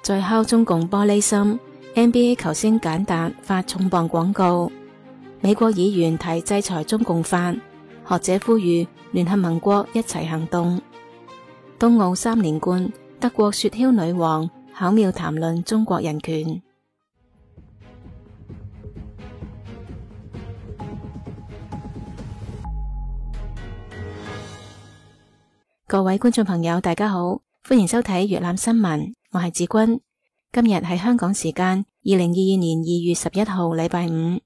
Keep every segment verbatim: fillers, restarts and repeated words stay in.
再敲中共玻璃心。 N B A 球星簡達發重磅廣告。美國議員提制裁中共法，學者呼籲聯合盟國一齊行動。冬奧三連冠，德國雪橇女王巧妙談論中國人權。各位觀眾朋友，大家好，歡迎收睇粵覽新聞，我係子君。今日係香港時間二零二二年二月十一號禮拜五。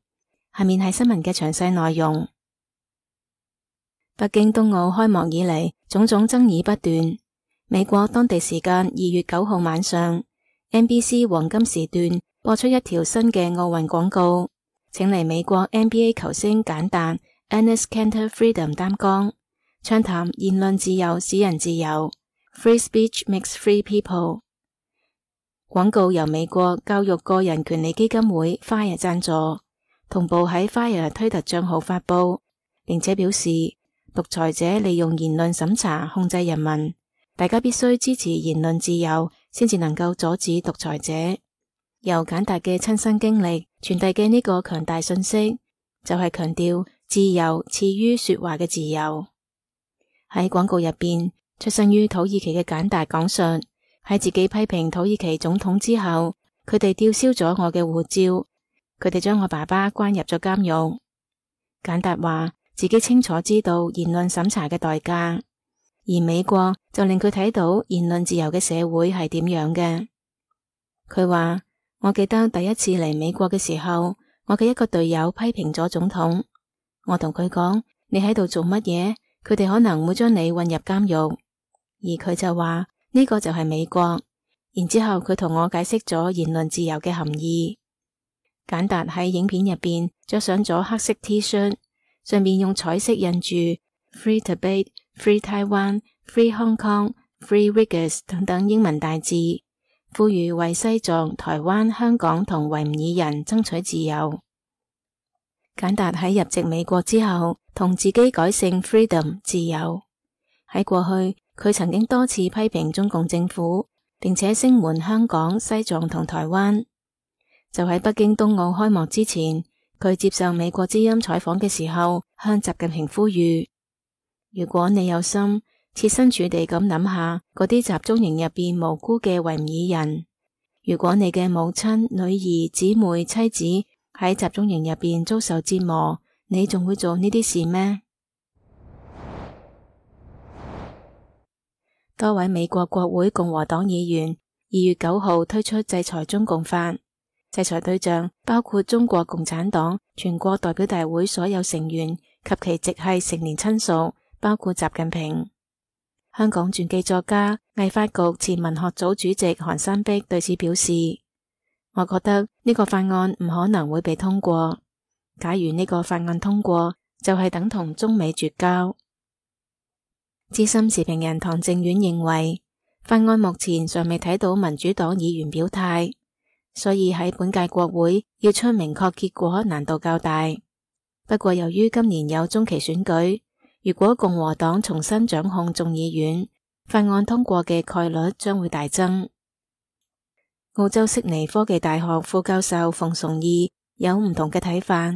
下面係新聞嘅詳細內容。北京冬奧開幕以嚟，種種爭議不斷。美國當地時間二月九號晚上 ，N B C 黃金時段播出一條新嘅奧運廣告，請嚟美國 N B A 球星簡達 Enes Kanter Freedom 擔綱，暢談言論自由使人自由 ，Free Speech makes free people。廣告由美國教育個人權利基金會 Fire 贊助，同步喺 Fire 推特賬號發佈，並且表示獨裁者利用言論審查控制人民，大家必須支持言論自由，先至能夠阻止獨裁者。由簡達嘅親身經歷傳遞嘅呢個強大訊息，就係強調自由次於說話嘅自由。喺廣告入邊，出生於土耳其嘅簡達講述，喺自己批評土耳其總統之後，佢哋吊銷咗我嘅護照，佢哋將我爸爸關入咗監獄。簡達話自己清楚知道言論審查嘅代價，而美國就令佢睇到言論自由嘅社會係點樣嘅。佢話，我記得第一次嚟美國嘅時候，我嘅一個隊友批評咗總統，我同佢講，你喺度做乜嘢？佢哋可能會將你混入監獄，而佢就話呢個就係美國。然之後佢同我解釋咗言論自由嘅含義。簡達喺影片入邊着上咗黑色 T 恤，上面用彩色印住 Free Tibet、Free Taiwan、Free Hong Kong、Free Uyghurs 等等英文大字，呼籲為西藏、台灣、香港同維吾爾人爭取自由。簡達喺入籍美國之後，同自己改姓 Freedom 自由。喺過去，佢曾經多次批評中共政府，並且聲援香港、西藏同台灣。就喺北京冬奧開幕之前，佢接受美國之音採訪嘅時候，向習近平呼籲：如果你有心，設身處地咁諗下嗰啲集中營入邊無辜嘅維吾爾人，如果你嘅母親、女兒、姊妹、妻子喺集中營入邊遭受折磨，你仲會做呢啲事咩？多位美國國會共和黨議員二月九號推出制裁中共法，制裁對象包括中國共產黨全國代表大會所有成員及其直系成年親屬，包括習近平。香港傳記作家、藝發局前文學組主席韓山碧對此表示：我覺得呢個法案唔可能會被通過。假如呢個法案通過，就係等同中美絕交。資深時評人唐正遠認為，法案目前尚未睇到民主黨議員表態，所以喺本屆國會要出明確結果難度較大。不過由於今年有中期選舉，如果共和黨重新掌控眾議院，法案通過嘅概率將會大增。澳洲悉尼科技大學副教授馮崇義有唔同嘅睇法。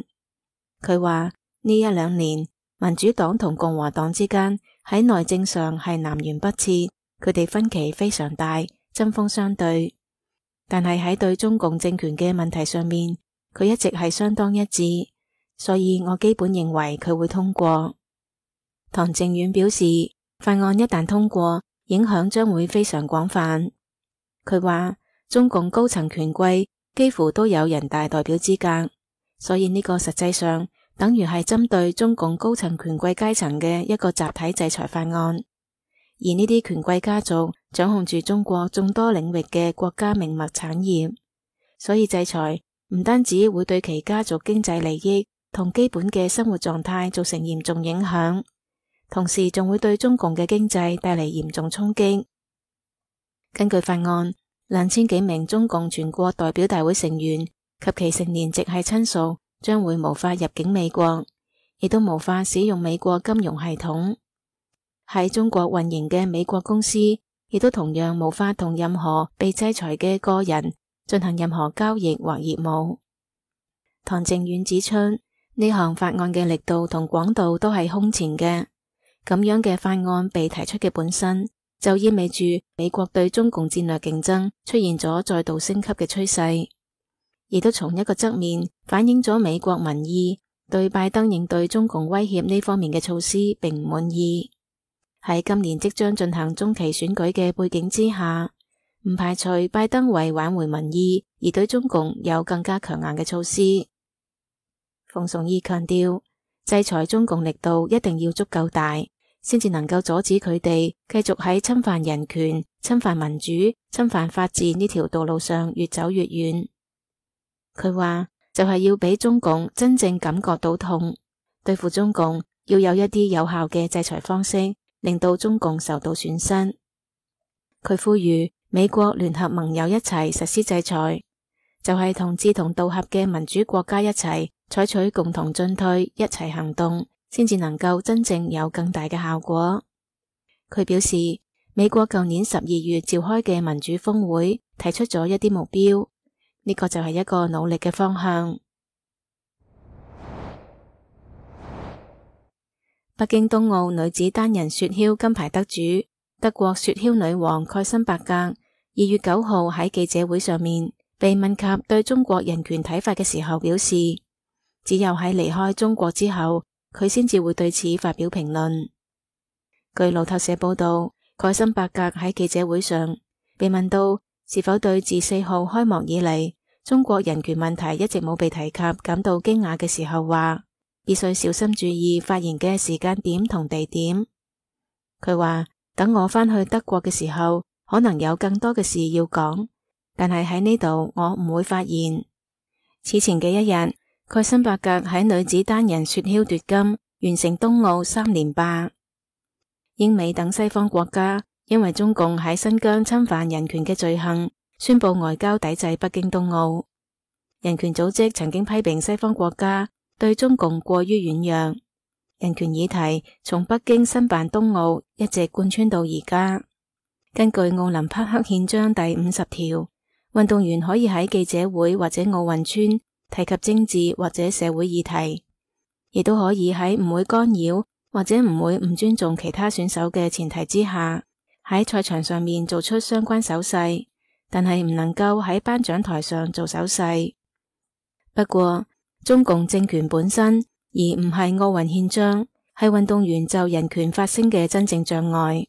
佢話呢一兩年民主黨同共和黨之間喺內政上係南轅北轍，佢哋分歧非常大，針鋒相對。但係喺對中共政權嘅問題上面，佢一直係相當一致，所以我基本認為佢會通過。唐正遠表示，法案一旦通過，影響將會非常廣泛。佢話中共高層權貴幾乎都有人大代表資格，所以呢個實際上等於係針對中共高層權貴階層嘅一個集體制裁法案，而呢啲權貴家族掌控住中國眾多領域嘅國家命脈產業，所以制裁唔單止會對其家族經濟利益同基本嘅生活狀態造成嚴重影響，同時仲會對中共嘅經濟帶嚟嚴重衝擊。根據法案，兩千幾名中共全國代表大會成員及其成年直系親屬將會無法入境美國，亦都無法使用美國金融系統。喺中國運營嘅美國公司亦都同樣無法同任何被制裁嘅個人進行任何交易或業務。唐靖遠指出，呢項法案嘅力度同廣度都係空前嘅，咁樣嘅法案被提出嘅本身，就意味住美國對中共戰略競爭出現咗再度升級嘅趨勢，亦都從一個側面反映咗美國民意對拜登應對中共威脅呢方面嘅措施並唔滿意。喺今年即將進行中期選舉嘅背景之下，唔排除拜登為挽回民意而對中共有更加強硬嘅措施。馮崇義強調，制裁中共力度一定要足夠大，先至能夠阻止佢哋繼續喺侵犯人權、侵犯民主、侵犯法治呢條道路上越走越遠。佢話就係要俾中共真正感覺到痛，對付中共要有一啲有效嘅制裁方式，令到中共受到損失。佢呼籲美國聯合盟友一齊實施制裁，就係同志同道合嘅民主國家一齊採取共同進退，一齊行動，先至能夠真正有更大嘅效果。佢表示，美國舊年十二月召開嘅民主峰會提出咗一啲目標，呢個就係一個努力嘅方向。北京冬奧女子單人雪橇金牌得主德國雪橇女王蓋森伯格二月九號喺記者會上面被問及對中國人權睇法嘅時候，表示只有喺離開中國之後，佢先至會對此發表評論。據路透社報道，蓋森伯格喺記者會上被問到是否對自四號開幕以嚟中國人權問題一直冇被提及感到驚訝嘅時候，話必須小心注意發言嘅時間點同地點。佢話等我返去德國嘅時候，可能有更多嘅事要講，但係喺呢度我唔會發言。此前嘅一日，蓋森伯格喺女子單人雪橇奪金，完成冬奧三連霸。英美等西方國家因為中共喺新疆侵犯人權嘅罪行，宣布外交抵制北京冬奧。人權組織曾經批評西方國家對中共過於軟弱。人權議題從北京申辦冬奧一直貫穿到而家。根據奧林匹克憲章第五十條，運動員可以喺記者會或者奧運村提及政治或者社會議題，亦都可以喺唔會干擾或者唔會唔尊重其他選手嘅前提之下，喺賽場上面做出相關手勢，但係唔能夠喺頒獎台上做手勢。不過，中共政權本身而唔係奧運憲章，係運動員就人權發聲嘅真正障礙。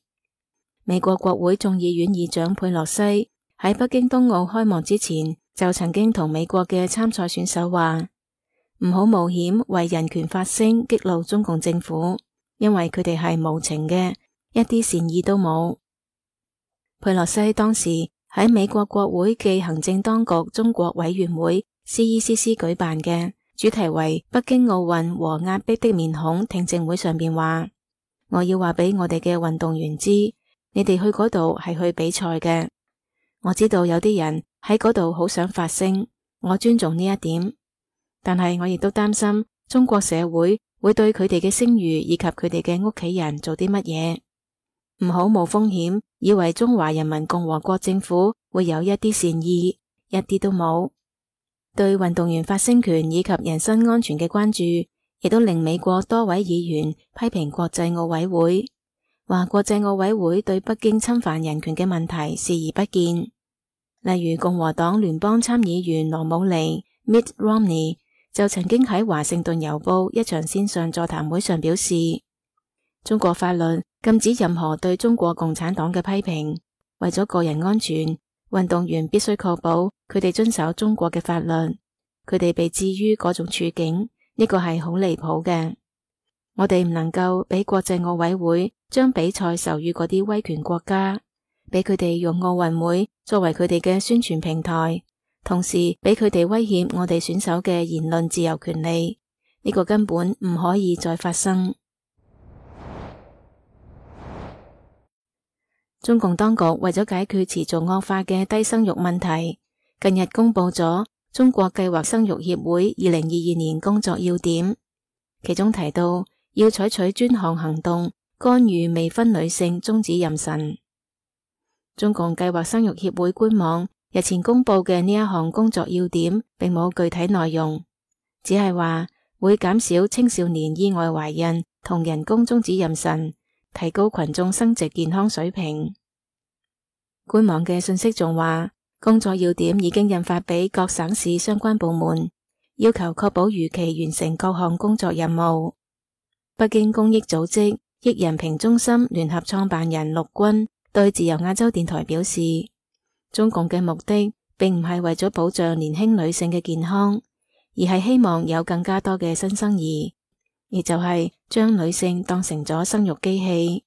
美國國會眾議院議長佩洛西喺北京冬奧開幕之前就曾經同美國嘅參賽選手話，唔好冒險為人權發聲，激怒中共政府，因為佢哋係無情嘅，一啲善意都冇。佩洛西當時喺美國國會暨行政當局中國委員會 C E C C 舉辦嘅主題為北京奧運和壓迫的面孔聽證會上邊話，我要話俾我哋嘅運動員知，你哋去嗰度係去比賽嘅。我知道有啲人喺嗰度好想發聲，我尊重呢一點，但係我亦都擔心中國社會會對佢哋嘅聲譽以及佢哋嘅屋企人做啲乜嘢。唔好冒風險，以為中華人民共和國政府會有一啲善意，一啲都冇。對運動員發聲權以及人身安全嘅關注，亦都令美國多位議員批評國際奧委會，話國際奧委會對北京侵犯人權嘅問題視而不見。例如共和黨聯邦參議員羅姆尼 Mitt Romney 就曾經喺華盛頓郵報一場線上座談會上表示，中國法律禁止任何對中國共產黨嘅批評，為咗個人安全，運動員必須確保佢哋遵守中國嘅法律。佢哋被置於嗰種處境，呢個係好離譜嘅。我哋唔能夠俾國際奧委會將比賽授予嗰啲威權國家，俾佢哋用奧運會作為佢哋嘅宣傳平台，同時俾佢哋威脅我哋選手嘅言論自由權利。呢個根本唔可以再發生。中共當局為咗解決持續惡化嘅低生育問題，近日公布咗中國計劃生育協會二零二二年工作要點，其中提到要採取專項行動，干預未婚女性終止妊娠。中共計劃生育協會官網日前公布嘅呢一項工作要點並冇具體內容，只係話會減少青少年意外懷孕同人工終止妊娠，提高群眾生殖健康水平。官網嘅信息仲話，工作要點已經印發俾各省市相關部門，要求確保如期完成各項工作任務。北京公益組織益人評中心聯合創辦人陸軍對自由亞洲電台表示，中共嘅目的並唔係為咗保障年輕女性嘅健康，而係希望有更加多嘅新生兒，亦就係將女性當成咗生育機器。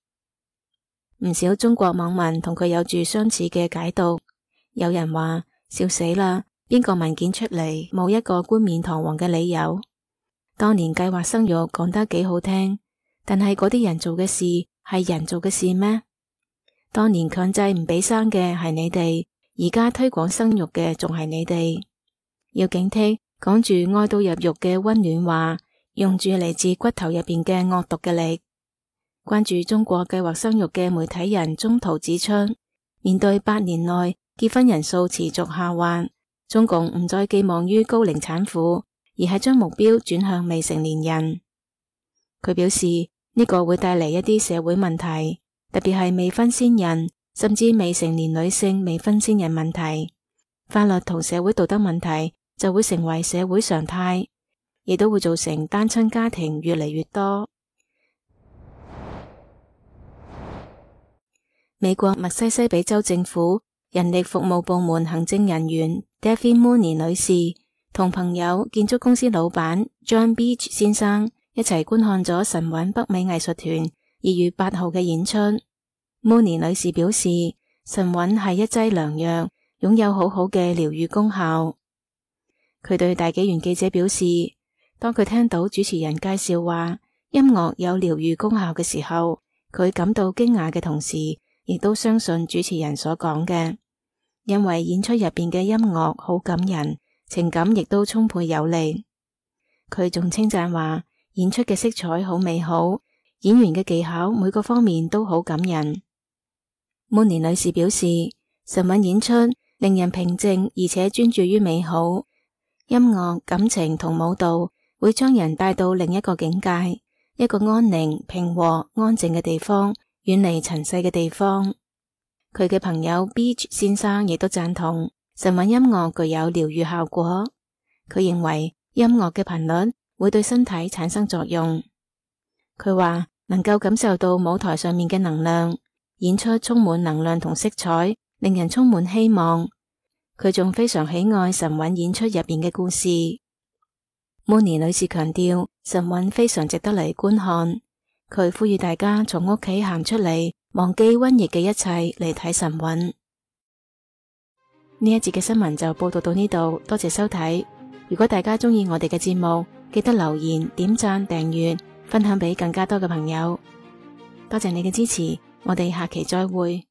唔少中國網民同佢有住相似嘅解讀，有人話笑死啦，邊個文件出嚟冇一個冠冕堂皇嘅理由？當年計劃生育講得幾好聽，但係嗰啲人做嘅事係人做嘅事咩？當年強制唔俾生嘅係你哋，而家推廣生育嘅仲係你哋。要警惕講住愛到入肉嘅溫暖話，用住嚟自骨頭入邊嘅惡毒嘅力。關注中國計劃生育嘅媒體人中途指出，面對八年內結婚人數持續下滑，中共唔再寄望於高齡產婦，而係將目標轉向未成年人。佢表示呢個會帶嚟一啲社會問題，特別係未婚先孕，甚至未成年女性未婚先孕問題。法律同社會道德問題就會成為社會常態，亦都會造成單親家庭越嚟越多。美國密西西比州政府人力服務部門行政人員 Debbie Mooney 女士同朋友建築公司老闆 John Beach 先生一齊觀看咗神韻北美藝術團二月八號嘅演出。Mooney 女士表示，神韻係一劑良藥，擁有好好嘅療癒功效。佢對大紀元記者表示，當佢聽到主持人介紹話音樂有療癒功效嘅時候，佢感到驚訝嘅同時，亦都相信主持人所講嘅，因為演出入邊嘅音樂好感人，情感亦都充沛有力。佢仲稱讚話，演出嘅色彩好美好，演員嘅技巧每個方面都好感人。Mooney 女士表示，神韻演出令人平靜而且專注於美好，音樂、感情同舞蹈會將人帶到另一個境界，一個安寧、平和、安靜嘅地方，遠離塵世嘅地方。佢嘅朋友 Beach 先生亦都贊同神韻音樂具有療癒效果。佢認為音樂嘅頻率會對身體產生作用。佢話能夠感受到舞台上面嘅能量，演出充滿能量同色彩，令人充滿希望。佢仲非常喜愛神韻演出入邊嘅故事。Mooney 女士強調，神韻非常值得嚟觀看。佢呼籲大家從屋企行出嚟，忘記瘟疫嘅一切嚟睇神韻。呢一節嘅新聞就報道到呢度，多謝收睇。如果大家鍾意我哋嘅節目，記得留言、點讚、訂閱、分享俾更加多嘅朋友。多謝你嘅支持，我哋下期再會。